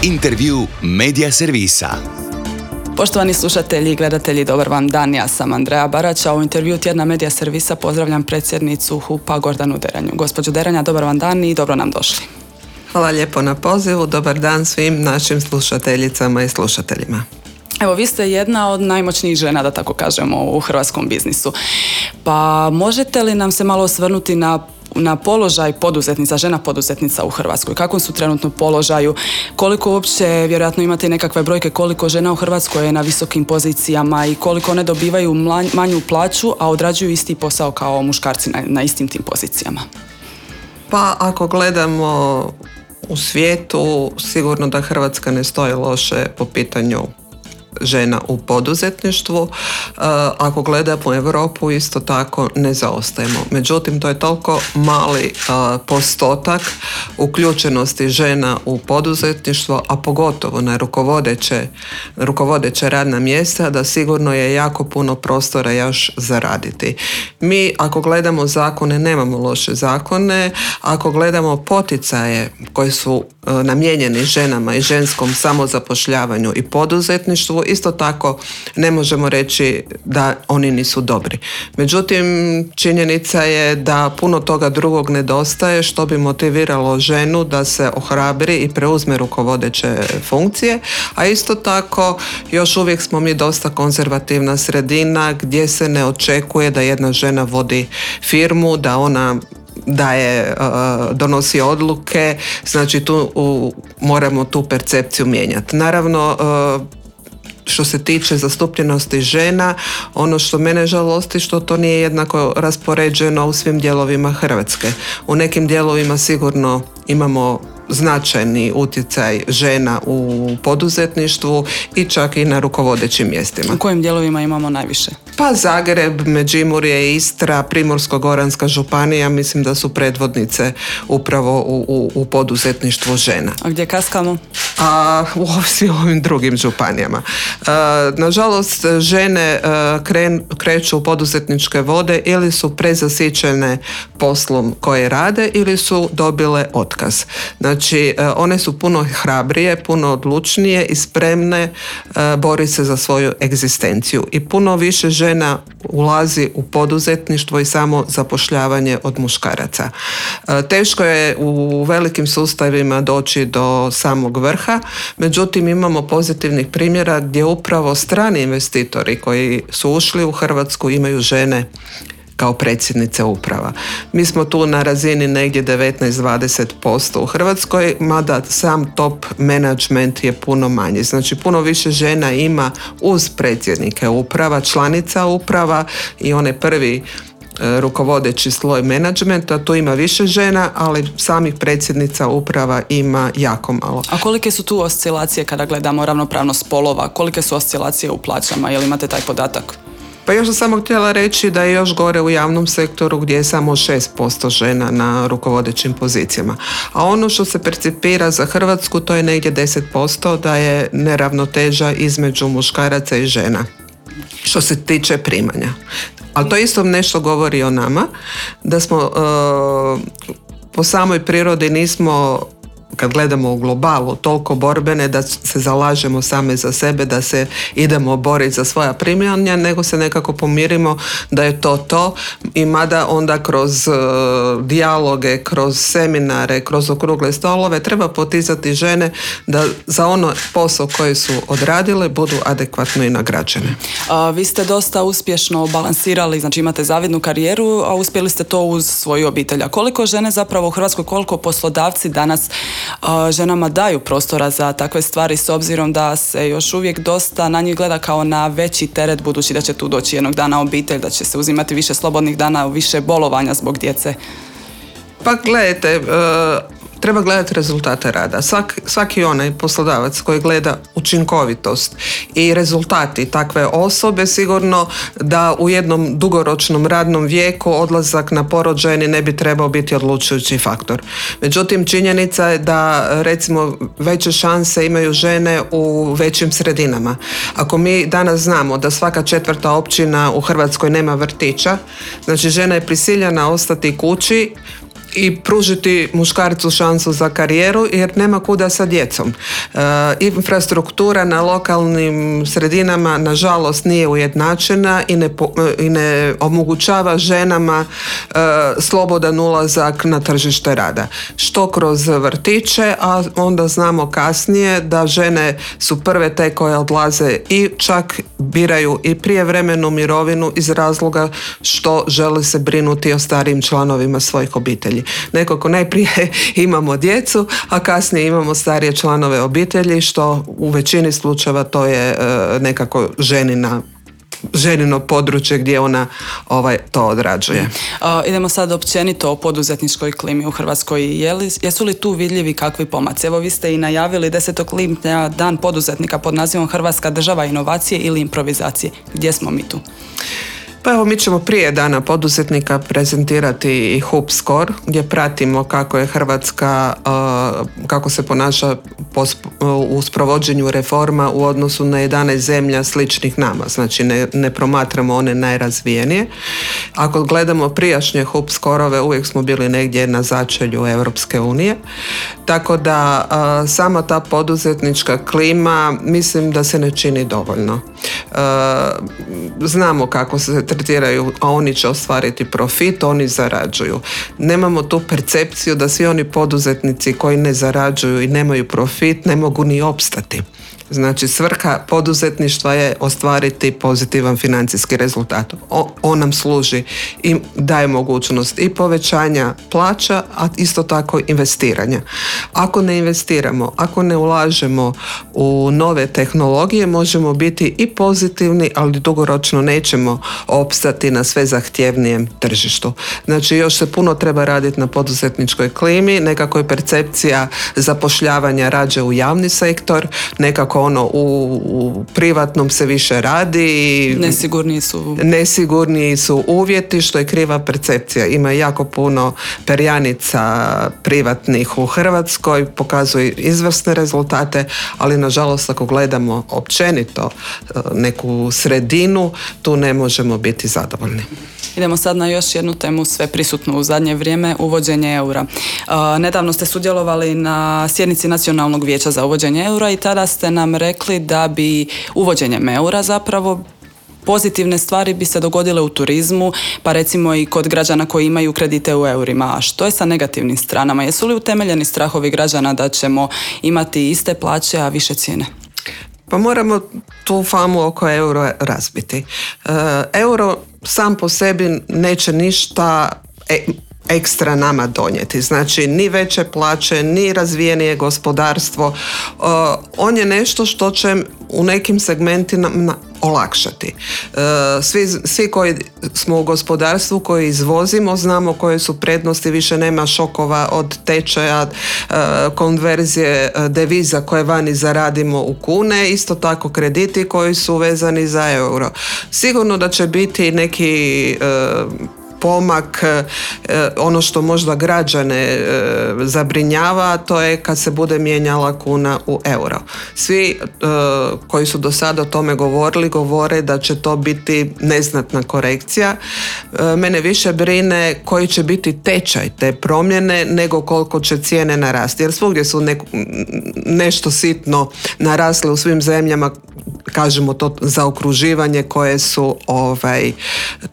Intervju Medija servisa. Poštovani slušatelji i gledatelji, dobar vam dan, ja sam Andreja Barača. U intervju tjedna Medija servisa pozdravljam predsjednicu HUP-a Gordanu Deranju. Gospođo Deranja, dobar vam dan i dobro nam došli. Hvala lijepo na pozivu, dobar dan svim našim slušateljicama i slušateljima. Evo, vi ste jedna od najmoćnijih žena, da tako kažemo, u hrvatskom biznisu. Pa možete li nam se malo osvrnuti na položaj poduzetnica, žena poduzetnica u Hrvatskoj? Kakvom su trenutno položaju? Koliko uopće, vjerojatno imate i nekakve brojke, koliko žena u Hrvatskoj je na visokim pozicijama i koliko one dobivaju manju plaću, a odrađuju isti posao kao muškarci na istim tim pozicijama? Pa ako gledamo u svijetu, sigurno da Hrvatska ne stoji loše po pitanju žena u poduzetništvu. Ako gledamo u Europu, isto tako ne zaostajemo. Međutim, to je toliko mali postotak uključenosti žena u poduzetništvo, a pogotovo na rukovodeće radna mjesta, da sigurno je jako puno prostora još zaraditi. Mi, ako gledamo zakone, nemamo loše zakone. Ako gledamo poticaje koji su namijenjeni ženama i ženskom samozapošljavanju i poduzetništvu, isto tako ne možemo reći da oni nisu dobri. Međutim, činjenica je da puno toga drugog nedostaje što bi motiviralo ženu da se ohrabri i preuzme rukovodeće funkcije, a isto tako još uvijek smo mi dosta konzervativna sredina gdje se ne očekuje da jedna žena vodi firmu, da ona donosi odluke, znači moramo tu percepciju mijenjati. Naravno, što se tiče zastupljenosti žena, ono što mene žalosti što to nije jednako raspoređeno u svim dijelovima Hrvatske. U nekim dijelovima sigurno imamo značajni utjecaj žena u poduzetništvu i čak i na rukovodećim mjestima. U kojim dijelovima imamo najviše? Pa Zagreb, Međimurje, Istra, Primorsko-goranska županija, mislim da su predvodnice upravo u poduzetništvu žena. A gdje kaskamo? U svim ovim drugim županijama. Nažalost, žene kreću u poduzetničke vode ili su prezasićene poslom koje rade ili su dobile otkaz. Znači, one su puno hrabrije, puno odlučnije i spremne boriti se za svoju egzistenciju. I puno više žena ulazi u poduzetništvo i samo zapošljavanje od muškaraca. Teško je u velikim sustavima doći do samog vrha, međutim imamo pozitivnih primjera gdje upravo strani investitori koji su ušli u Hrvatsku imaju žene kao predsjednice uprava. Mi smo tu na razini negdje 19-20% u Hrvatskoj, mada sam top management je puno manji. Znači puno više žena ima uz predsjednike uprava, članica uprava i onaj prvi rukovodeći sloj menadžmenta, tu ima više žena, ali samih predsjednica uprava ima jako malo. A kolike su tu oscilacije kada gledamo ravnopravnost spolova? Kolike su oscilacije u plaćama? Jel imate taj podatak? Pa još sam samo htjela reći da je još gore u javnom sektoru gdje je samo 6% žena na rukovodećim pozicijama. A ono što se percipira za Hrvatsku, to je negdje 10%, da je neravnoteža između muškaraca i žena što se tiče primanja. Ali to isto nešto govori o nama, da smo po samoj prirodi nismo, kad gledamo u globalu, toliko borbene da se zalažemo same za sebe, da se idemo boriti za svoja primanja, nego se nekako pomirimo da je to i mada onda kroz dijaloge, kroz seminare, kroz okrugle stolove treba poticati žene da za ono posao koji su odradile budu adekvatno i nagrađene. Vi ste dosta uspješno balansirali, znači imate zavidnu karijeru, a uspjeli ste to uz svoju obitelj. A koliko žene zapravo u Hrvatskoj, koliko poslodavci danas ženama daju prostora za takve stvari, s obzirom da se još uvijek dosta na njih gleda kao na veći teret, budući da će tu doći jednog dana obitelj, da će se uzimati više slobodnih dana, više bolovanja zbog djece? Pa gledajte, treba gledati rezultate rada. Svaki onaj poslodavac koji gleda učinkovitost i rezultati takve osobe, sigurno da u jednom dugoročnom radnom vijeku odlazak na porođajni ne bi trebao biti odlučujući faktor. Međutim, činjenica je da recimo veće šanse imaju žene u većim sredinama. Ako mi danas znamo da svaka 4. općina u Hrvatskoj nema vrtića, znači žena je prisiljena ostati kući i pružiti muškarcu šansu za karijeru jer nema kuda sa djecom. Infrastruktura na lokalnim sredinama nažalost nije ujednačena i ne omogućava ženama slobodan ulazak na tržište rada. Što kroz vrtiće, a onda znamo kasnije da žene su prve te koje odlaze i čak biraju i prijevremenu mirovinu iz razloga što žele se brinuti o starijim članovima svojih obitelji. Nekako najprije imamo djecu, a kasnije imamo starije članove obitelji, što u većini slučajeva to je nekako ženino područje gdje ona to odrađuje. Idemo sad općenito o poduzetničkoj klimi u Hrvatskoj. Jesu li tu vidljivi kakvi pomaci? Evo, vi ste i najavili 10. lipnja dan poduzetnika pod nazivom Hrvatska država inovacije ili improvizacije. Gdje smo mi tu? Pa evo, mi ćemo prije dana poduzetnika prezentirati i HUP Score gdje pratimo kako je Hrvatska, kako se ponaša u sprovođenju reforma u odnosu na 11 zemlja sličnih nama. Znači ne promatramo one najrazvijenije. Ako gledamo prijašnje HUP Score-ove, uvijek smo bili negdje na začelju Europske unije. Tako da sama ta poduzetnička klima mislim da se ne čini dovoljno. Znamo kako se tretiraju, a oni će ostvariti profit, oni zarađuju. Nemamo tu percepciju da svi oni poduzetnici koji ne zarađuju i nemaju profit ne mogu ni opstati. Znači, svrha poduzetništva je ostvariti pozitivan financijski rezultat. On nam služi i daje mogućnost i povećanja plaća, a isto tako investiranja. Ako ne investiramo, ako ne ulažemo u nove tehnologije, možemo biti i pozitivni, ali dugoročno nećemo opstati na sve zahtjevnijem tržištu. Znači, još se puno treba raditi na poduzetničkoj klimi, nekako je percepcija zapošljavanja rađe u javni sektor, nekako u privatnom se više radi. Nesigurniji su uvjeti, što je kriva percepcija. Ima jako puno perjanica privatnih u Hrvatskoj, pokazuju izvrsne rezultate, ali nažalost ako gledamo općenito neku sredinu, tu ne možemo biti zadovoljni. Idemo sad na još jednu temu sve prisutnu u zadnje vrijeme, uvođenje eura. Nedavno ste sudjelovali na sjednici Nacionalnog vijeća za uvođenje eura i tada ste nam rekli da bi uvođenjem eura zapravo pozitivne stvari bi se dogodile u turizmu, pa recimo i kod građana koji imaju kredite u eurima. A što je sa negativnim stranama? Jesu li utemeljeni strahovi građana da ćemo imati iste plaće, a više cijene? Pa moramo tu famu oko euro razbiti. Euro sam po sebi neće ništa ekstra nama donijeti. Znači, ni veće plaće, ni razvijenije gospodarstvo. On je nešto što će u nekim segmentima olakšati. Svi koji smo u gospodarstvu, koji izvozimo, znamo koje su prednosti, više nema šokova od tečaja, konverzije deviza koje vani zaradimo u kune, isto tako krediti koji su vezani za euro. Sigurno da će biti neki pomak, ono što možda građane zabrinjava, to je kad se bude mijenjala kuna u euro. Svi koji su do sada o tome govorili, govore da će to biti neznatna korekcija. Mene više brine koji će biti tečaj te promjene nego koliko će cijene narasti. Jer svugdje su nešto sitno narasle u svim zemljama, kažemo to zaokruživanje, koje su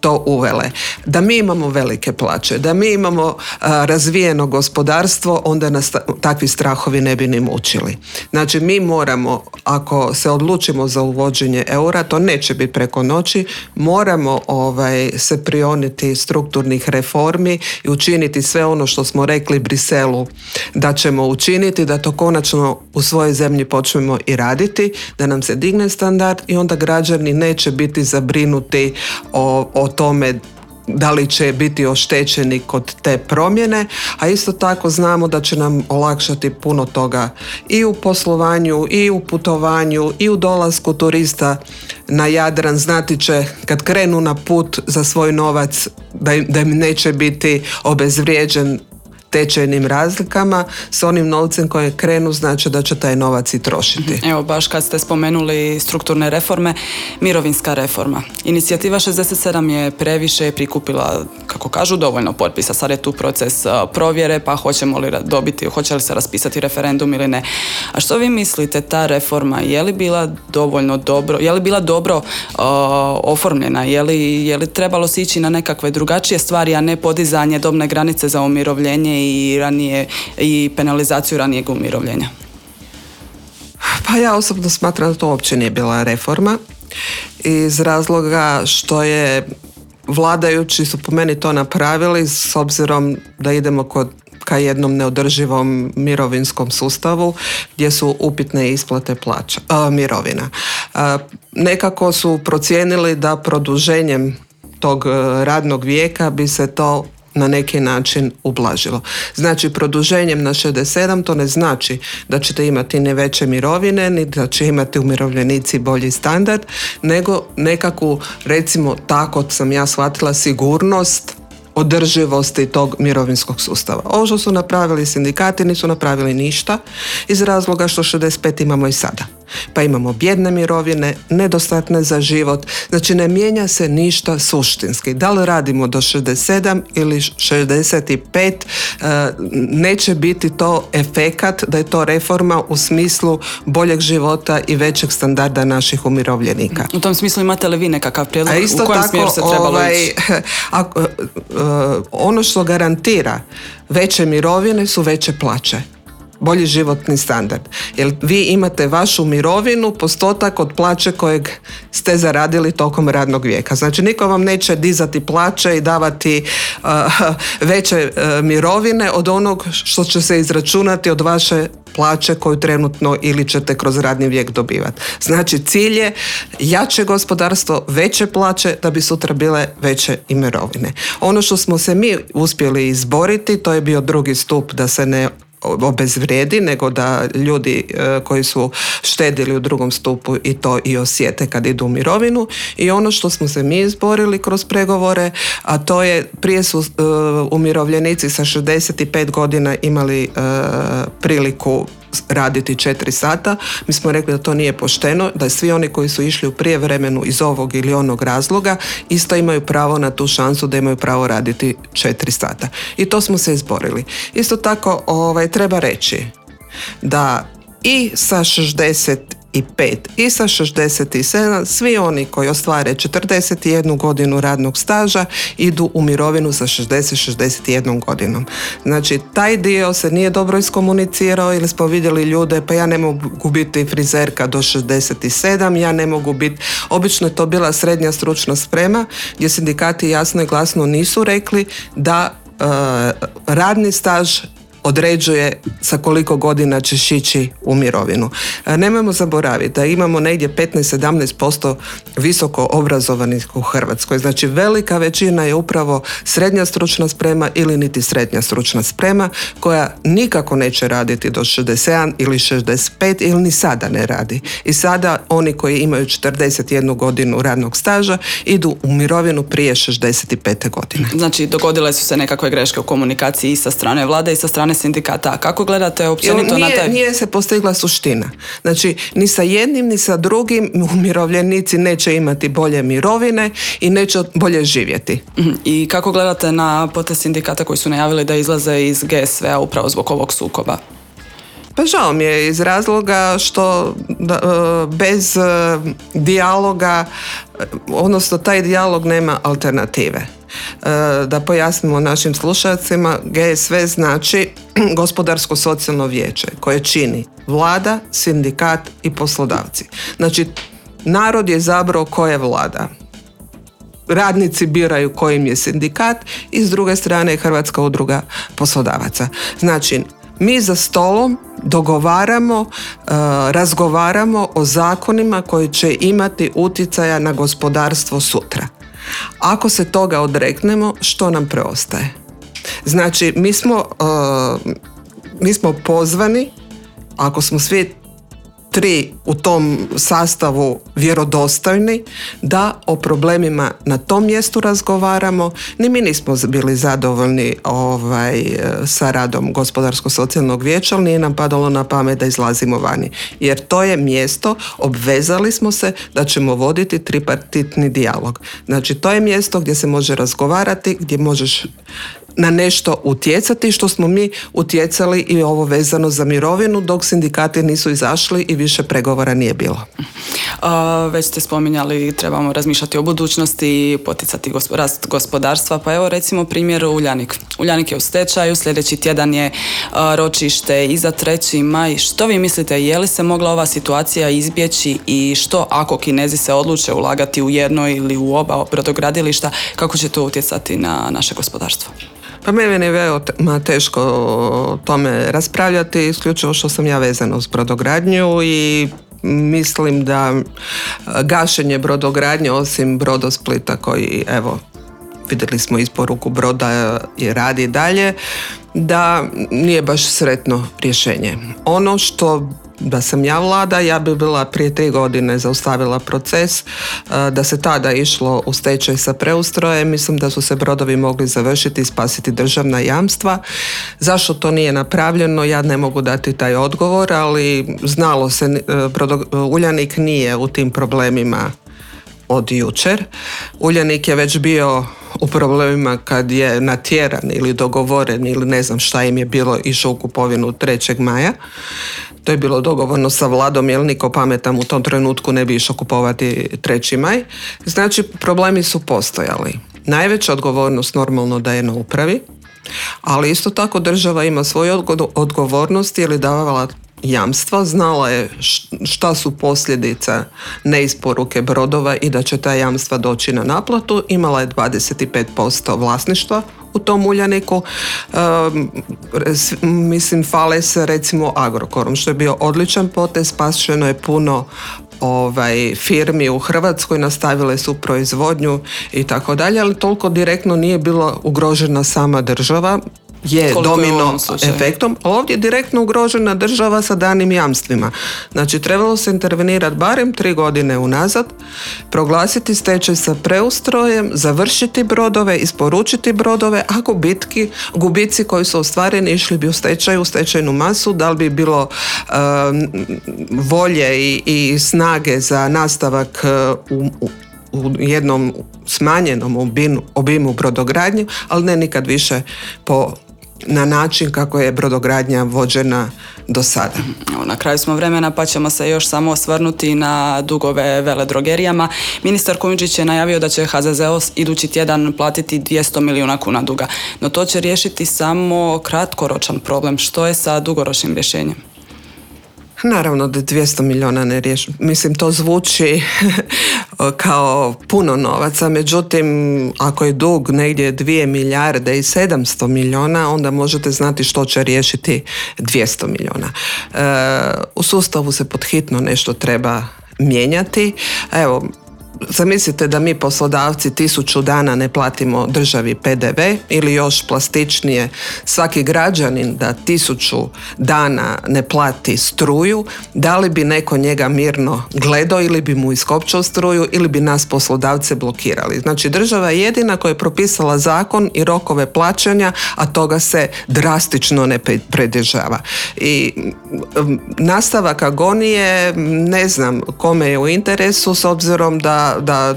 to uvele. Da mi imamo velike plaće, da mi imamo razvijeno gospodarstvo, onda nas takvi strahovi ne bi ni mučili. Znači, mi moramo, ako se odlučimo za uvođenje eura, to neće biti preko noći, moramo se prioniti strukturnih reformi i učiniti sve ono što smo rekli Briselu da ćemo učiniti, da to konačno u svojoj zemlji počnemo i raditi, da nam se digne standard i onda građani neće biti zabrinuti o tome da li će biti oštećeni kod te promjene, a isto tako znamo da će nam olakšati puno toga i u poslovanju, i u putovanju, i u dolasku turista na Jadran. Znati će kad krenu na put za svoj novac da im neće biti obezvrijeđen tečajnim razlikama s onim novcem koje krenu, znači da će taj novac i trošiti. Evo, baš kad ste spomenuli strukturne reforme, mirovinska reforma. Inicijativa 67 je previše prikupila, kako kažu, dovoljno potpisa. Sad je tu proces provjere, pa hoćemo li dobiti, hoće li se raspisati referendum ili ne. A što vi mislite, ta reforma, je li bila dovoljno dobro, je li bila dobro oformljena, je li trebalo se ići na nekakve drugačije stvari, a ne podizanje dobne granice za umirovljenje i penalizaciju ranijeg umirovljenja? Pa ja osobno smatram da to uopće nije bila reforma, iz razloga što je vladajući su po meni to napravili s obzirom da idemo ka jednom neodrživom mirovinskom sustavu gdje su upitne isplate mirovina. Nekako su procijenili da produženjem tog radnog vijeka bi se to na neki način ublažilo. Znači, produženjem na 67 to ne znači da ćete imati ne veće mirovine, ni da će imati umirovljenici bolji standard, nego nekakvu, recimo tako sam ja shvatila, sigurnost održivosti tog mirovinskog sustava. Ovo što su napravili sindikati nisu napravili ništa iz razloga što 65 imamo i sada. Pa imamo bijedne mirovine, nedostatne za život, znači ne mijenja se ništa suštinski. Da li radimo do 67 ili 65, neće biti to efekat da je to reforma u smislu boljeg života i većeg standarda naših umirovljenika. U tom smislu imate li vi nekakav prijedlog u kojem smjeru se trebalo ići? Ono što garantira veće mirovine su veće plaće, bolji životni standard. Jer vi imate vašu mirovinu postotak od plaće kojeg ste zaradili tokom radnog vijeka. Znači niko vam neće dizati plaće i davati veće mirovine od onog što će se izračunati od vaše plaće koju trenutno ili ćete kroz radni vijek dobivati. Znači cilj je jače gospodarstvo, veće plaće da bi sutra bile veće i mirovine. Ono što smo se mi uspjeli izboriti, to je bio drugi stup da se ne obezvrijedi, nego da ljudi koji su štedili u drugom stupu i to i osjete kad idu u mirovinu. I ono što smo se mi izborili kroz pregovore, a to je prije su umirovljenici sa 65 godina imali priliku raditi 4 sata. Mi smo rekli da to nije pošteno, da svi oni koji su išli u prijevremenu iz ovog ili onog razloga isto imaju pravo na tu šansu da imaju pravo raditi 4 sata. I to smo se izborili. Isto tako treba reći da i sa 65 i sa 67 svi oni koji ostvare 41 godinu radnog staža idu u mirovinu sa 60-61 godinom. Znači taj dio se nije dobro iskomunicirao ili smo vidjeli ljude, pa ja ne mogu biti frizerka do 67, ja ne mogu biti, obično je to bila srednja stručna sprema gdje sindikati jasno i glasno nisu rekli da radni staž određuje sa koliko godina ćeš ići u mirovinu. Nemojmo zaboraviti da imamo negdje 15-17% visoko obrazovanih u Hrvatskoj. Znači velika većina je upravo srednja stručna sprema ili niti srednja stručna sprema koja nikako neće raditi do 67 ili 65 ili ni sada ne radi. I sada oni koji imaju 41 godinu radnog staža idu u mirovinu prije 65. godine. Znači dogodile su se nekakve greške u komunikaciji i sa strane vlade i sa strane sindikata. Kako gledate općenito na taj? Nije se postigla suština. Znači, ni sa jednim, ni sa drugim umirovljenici neće imati bolje mirovine i neće bolje živjeti. I kako gledate na potez sindikata koji su najavili da izlaze iz GSV-a upravo zbog ovog sukoba? Pa žao mi je iz razloga što bez dijaloga, odnosno taj dijalog nema alternative. Da pojasnimo našim slušalcima, GSV znači Gospodarsko-socijalno vijeće koje čini vlada, sindikat i poslodavci. Znači, narod je izabrao ko je vlada. Radnici biraju kojim je sindikat i s druge strane je Hrvatska udruga poslodavaca. Znači, mi za stolom dogovaramo, razgovaramo o zakonima koji će imati utjecaja na gospodarstvo sutra. Ako se toga odreknemo, što nam preostaje? Znači, mi smo pozvani, ako smo svi tri u tom sastavu vjerodostojni, da o problemima na tom mjestu razgovaramo. Ni mi nismo bili zadovoljni sa radom Gospodarsko-socijalnog vijeća, ali nije nam padalo na pamet da izlazimo vani. Jer to je mjesto, obvezali smo se da ćemo voditi tripartitni dijalog. Znači, to je mjesto gdje se može razgovarati, gdje možeš na nešto utjecati, što smo mi utjecali i ovo vezano za mirovinu, dok sindikati nisu izašli i više pregovora nije bilo. Već ste spominjali, trebamo razmišljati o budućnosti, poticati rast gospodarstva, pa evo recimo primjer Uljanik. Uljanik je u stečaju, sljedeći tjedan je ročište i za 3. maj. Što vi mislite, je li se mogla ova situacija izbjeći i što ako Kinezi se odluče ulagati u jedno ili u oba brodogradilišta, kako će to utjecati na naše gospodarstvo? Pa meni je veoma teško o tome raspravljati, isključivo što sam ja vezana uz brodogradnju i mislim da gašenje brodogradnje, osim Brodosplita koji, evo, vidjeli smo isporuku broda i radi dalje, da nije baš sretno rješenje. Ono što da sam ja vlada, ja bi bila prije 3 godine zaustavila proces, da se tada išlo u stečaj sa preustrojem, mislim da su se brodovi mogli završiti i spasiti državna jamstva. Zašto to nije napravljeno, ja ne mogu dati taj odgovor, ali znalo se, Uljanik nije u tim problemima od jučer. Uljanik je već bio u problemima kad je natjeran ili dogovoren ili ne znam šta im je bilo, išao u kupovinu 3. maja. To je bilo dogovorno sa vladom, jer niko pametan u tom trenutku ne bi išao kupovati 3. maj. Znači, problemi su postojali. Najveća odgovornost normalno da je na upravi, ali isto tako država ima svoju odgovornost jer je davala jamstva, znala je šta su posljedica neisporuke brodova i da će ta jamstva doći na naplatu. Imala je 25% vlasništva u tom Uljaniku. Mislim, fale se recimo Agrokorom, što je bio odličan potez, spašeno je puno firmi u Hrvatskoj, nastavile su proizvodnju i tako dalje, ali toliko direktno nije bila ugrožena sama država, je domino efektom, a ovdje je direktno ugrožena država sa danim jamstvima. Znači, trebalo se intervenirati barem 3 godine unazad, proglasiti stečaj sa preustrojem, završiti brodove, isporučiti brodove, a gubici koji su ostvareni išli bi u stečajnu masu, da li bi bilo volje i snage za nastavak u jednom smanjenom obimu brodogradnje, ali ne nikad više na način kako je brodogradnja vođena do sada. Na kraju smo vremena, pa ćemo se još samo osvrnuti na dugove veledrogerijama. Ministar Kujundžić je najavio da će HZZO idući tjedan platiti 200 milijuna kuna duga, no to će riješiti samo kratkoročan problem. Što je sa dugoročnim rješenjem? Naravno da 200 milijuna ne riješi. Mislim, to zvuči kao puno novaca, međutim, ako je dug negdje 2 milijarde i 700 milijuna, onda možete znati što će riješiti 200 milijuna. U sustavu se podhitno nešto treba mijenjati. Evo, zamislite da mi poslodavci 1000 dana ne platimo državi PDV, ili još plastičnije, svaki građanin da 1000 dana ne plati struju, da li bi neko njega mirno gledao ili bi mu iskopčao struju ili bi nas poslodavce blokirali. Znači, država je jedina koja je propisala zakon i rokove plaćanja, a toga se drastično ne pridržava. I nastavak agonije, ne znam kome je u interesu, s obzirom da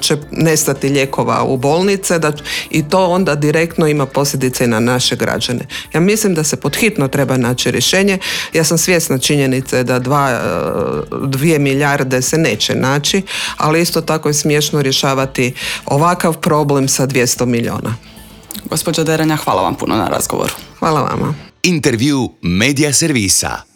će nestati lijekova u bolnice, i to onda direktno ima posljedice i na naše građane. Ja mislim da se podhitno treba naći rješenje. Ja sam svjesna činjenice da 2 milijarde se neće naći, ali isto tako je smiješno rješavati ovakav problem sa 200 milijuna. Gospođo Derenja, hvala vam puno na razgovoru. Hvala vama. Intervju Media servisa.